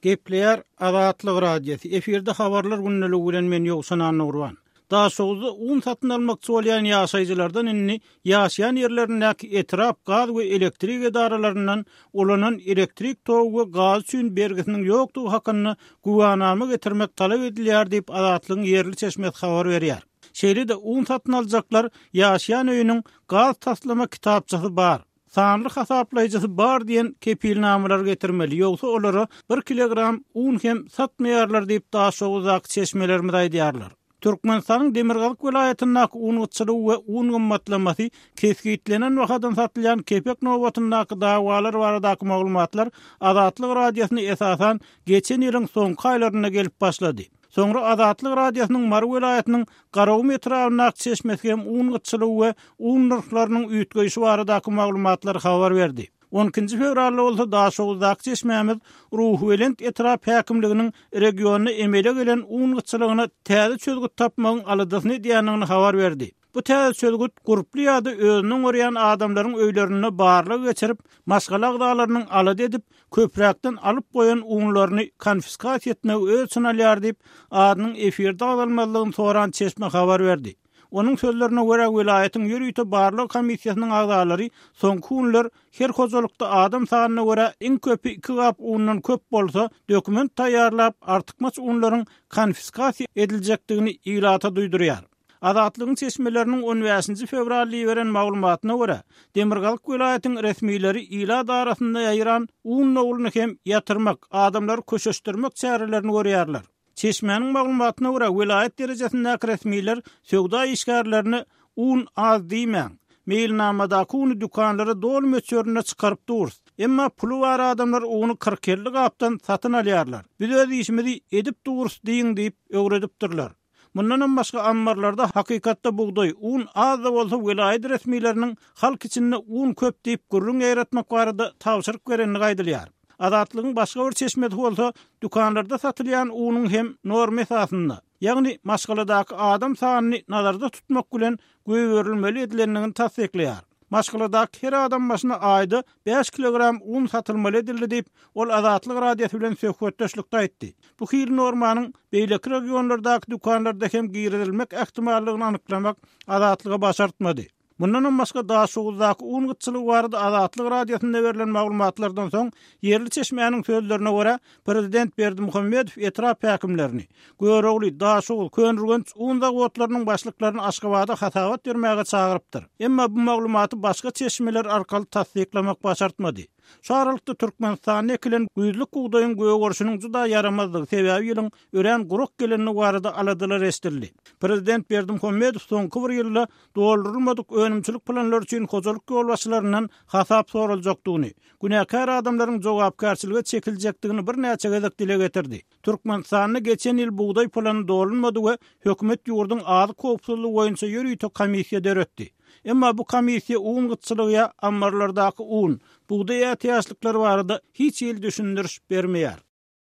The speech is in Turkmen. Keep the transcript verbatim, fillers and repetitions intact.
Gepleýär Azatlyk Radiosy. Efirde habarlar gündeligi bilen men Ýowşan Annagurban. Daşoguzda un satyn almakçy bolýan ýaşaýjylardan indi ýaşaýan ýerlerindäki etrap gaz we elektrik edaralaryndan ulanan elektrik togy we gaz üçin bergisiniň ýokdugy hakynda güwänama getirmek talap edilýär diýip Azatlygyň ýerli çeşmesi habar berýär. Şeýle-de un satyn aljaklar ýaşaýan öýüniň gaz taslama kitapçasy bar, sanly hasaplaýjysy bar diýen kepilnamalar getirmeli, ýogsa olara bir kilogram un hem satmaýarlar diýip Daşoguzdaky çeşmelerimiz aýdýarlar. Türkmenistanyň Demirgazyk welaýatyndaky un gytçylygy we un gymmatlamasy kesgitlenen bahadan satylýan kepek nobatyndaky dawalar baradaky maglumatlar Azatlyk Radiosyna esasan geçen ýylyň soňky aýlarynda gelip başlady. Soňra Azatlyk Radiosynyň Mary welaýatynyň Garagum etrabyndaky çeşmesi hem un gytçylygy we un nyrhlarynyň üýtgeýşi baradaky maglumatlary habar berdi. On ikinji fewralda bolsa Daşoguzdaky çeşmämiz Ruhubelent etrap häkimliginiň regionda emele gelen un gytçylygyna täze çözgüt tapmagyň aladasyny edýändigini habar berdi. Bu täze çözgüt gurply ýa-da özüniň görýän adamlaryň öýlerinde barlag geçirip, maşgala agzalarynyň alada edip, köpräkden alyp goýan unlaryny konfiskasiýa etmegi öz içine alýar diýip, adynyň efirde agzalmazlygyny soran çeşme habar berdi. Onuň sözlerine görä welaýatyň ýörite barlag komissiýasynyň agzalary soňky günler her hojalykda adam sanyna görä iň köpi iki gap undan köp bolsa dokument taýýarlap artykmaç unlaryň konfiskasiýa ediljekdigini ilata duýdurýar. Azatlygyň çeşmeleriniň on bäşinji fewralda beren maglumatyna görä, Demirgazyk welaýatyň resmileri ilat arasynda ýaýran un nowulyny hem ýatyrmak, adamlary köşeşdirmek çärelerini görýärler. Çeşmäniň maglumatyna görä, welaýat derejesindäki resmiler söwda işgärlerine un az diýmäň, meýilnamadaky uny dükanlara doly möçberinde çykaryp duruz. Emma puly bar adamlar uny kyrk elli gapdan satyn alýarlar. Biz öz işimizi edip duruz diýin diýip öwredipdirler. Mundan başga ammarlarda hakykatda bugdaý, un az da bolsa welaýat resmileriniň halk içinde un köp diýip gürrüň ýaýratmak barada tabşyryk berenini aýdylýar. Azatlygyň başga bir çeşmesi bolsa dükanlarda satylýan unuň hem norma esasynda, ýagny maşgaladaky adam sanyny nazarda tutmak bilen göýberilmeli edilendigini tassyklaýar. Maşgaladaky her adam başyna aýda bäş kilogram un satylmaly edildi diýip, ol Azatlyk Radiosy bilen söhbetdeşlikde aýtdy. Bu hil normanyň beýleki regionlardaky dükanlarda hem girizilmek ähtimallygyny anyklamak Azatlyga başartmady. Mundan başga Daşoguzdaky un gytçylygy barada Azatlyk Radiosynda berlen maglumatlardan soň ýerli çeşmäniň sözlerine görä Prezident Berdimuhamedow etrap häkimlerini, Görogly, Daşoguz, Köneürgenç un zawodlarynyň başlyklaryny Aşgabada hasabat bermäge çagyrypdyr. Emma bu maglumaty başga çeşmeler arkaly tassyklamak başartmady. Şu aralykda Türkmenistanda ekilen güýzlük bugdaýyň gögerişiniň juda ýaramazlygy sebäbi ýylyň örän gurak gelenligi barada aladalar eşidildi. Prezident Berdimuhamedow soňky bir ýylda doldurylmadyk önümçilik planlary üçin hojalyk ýolbaşçylaryndan hasap soraljakdygyny, günäkär adamlaryň jogapkärçilige çekiljekdigini birnäçe gezek dile getirdi. Türkmenistanda geçen ýyl bugdaý plany dolunmady we hökümet ýurduň azyk howpsuzlygy boýunça ýörite komissiýa döretdi. Emma bu komissiýa un gytçylygy ammarlardaky un, bugdaý ätiýaçlyklary barada hiç hili düşündiriş bermeýär.